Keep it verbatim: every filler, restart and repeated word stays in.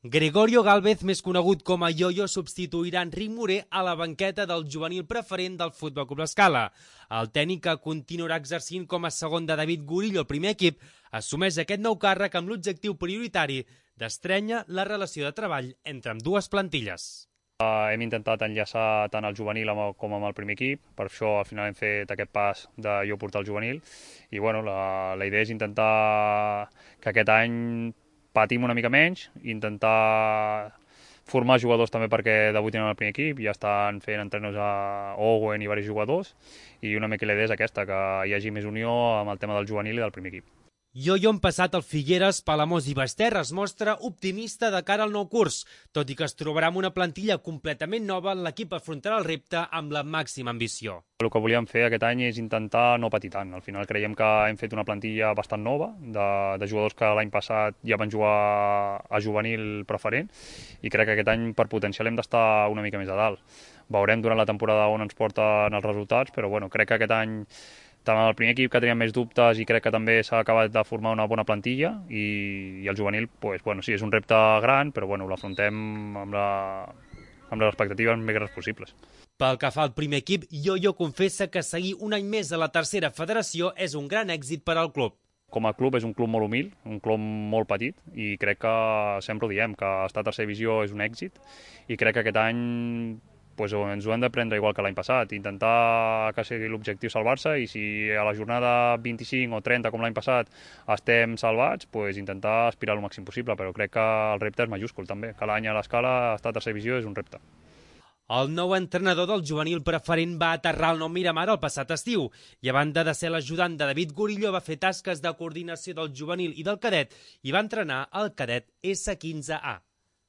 Gregorio Gálvez, més conegut com a Yoyo, substituirà Enric Moré a la banqueta del juvenil preferent del Futbol Club L'Escala. El tècnic, que continuarà exercint com a segon de David Gurillo al primer equip, assumeix aquest nou càrrec amb l'objectiu prioritari d'estrènyer la relació de treball entre ambdues plantilles. Uh, hem intentat enllaçar tant el juvenil amb el, com amb el primer equip, per això al final hem fet aquest pas de jo portar el juvenil i bueno, la, la idea és intentar que aquest any patim una mica menys, intentar formar jugadors també perquè debutin en el primer equip, ja estan fent entrenos a Owen i diversos jugadors i una mica la idea és aquesta, que hi hagi més unió amb el tema del juvenil i del primer equip. Yoyo, en passat al Figueres, Palamós i Basterra, es mostra optimista de cara al nou curs. Tot i que es trobarà amb una plantilla completament nova, l'equip afrontarà el repte amb la màxima ambició. El que volíem fer aquest any és intentar no patir tant. Al final creiem que hem fet una plantilla bastant nova, de, de jugadors que l'any passat ja van jugar a juvenil preferent, i crec que aquest any per potencial hem d'estar una mica més a dalt. Veurem durant la temporada on ens porten els resultats, però bueno, crec que aquest any tant el primer equip, que teníem més dubtes, i crec que també s'ha acabat de formar una bona plantilla, i, i el juvenil, pues, bueno, sí, és un repte gran, però bueno, l'afrontem amb, la, amb les expectatives més grans possibles. Pel que fa al primer equip, Yoyo confessa que seguir un any més a la tercera federació és un gran èxit per al club. Com a club és un club molt humil, un club molt petit, i crec que sempre ho diem, que estar a tercera divisió és un èxit, i crec que aquest any pues ens ho hem de prendre igual que l'any passat, intentar que sigui l'objectiu salvar-se, i si a la jornada vint-i-cinc o trenta, com l'any passat, estem salvats, pues intentar aspirar al màxim possible, però crec que el repte és majúscul també. Cada any a l'Escala estar a tercera divisió és un repte. El nou entrenador del juvenil preferent va aterrar al Nou Miramar el passat estiu i, a banda de ser l'ajudant de David Gurillo, va fer tasques de coordinació del juvenil i del cadet i va entrenar el cadet essa quinze A.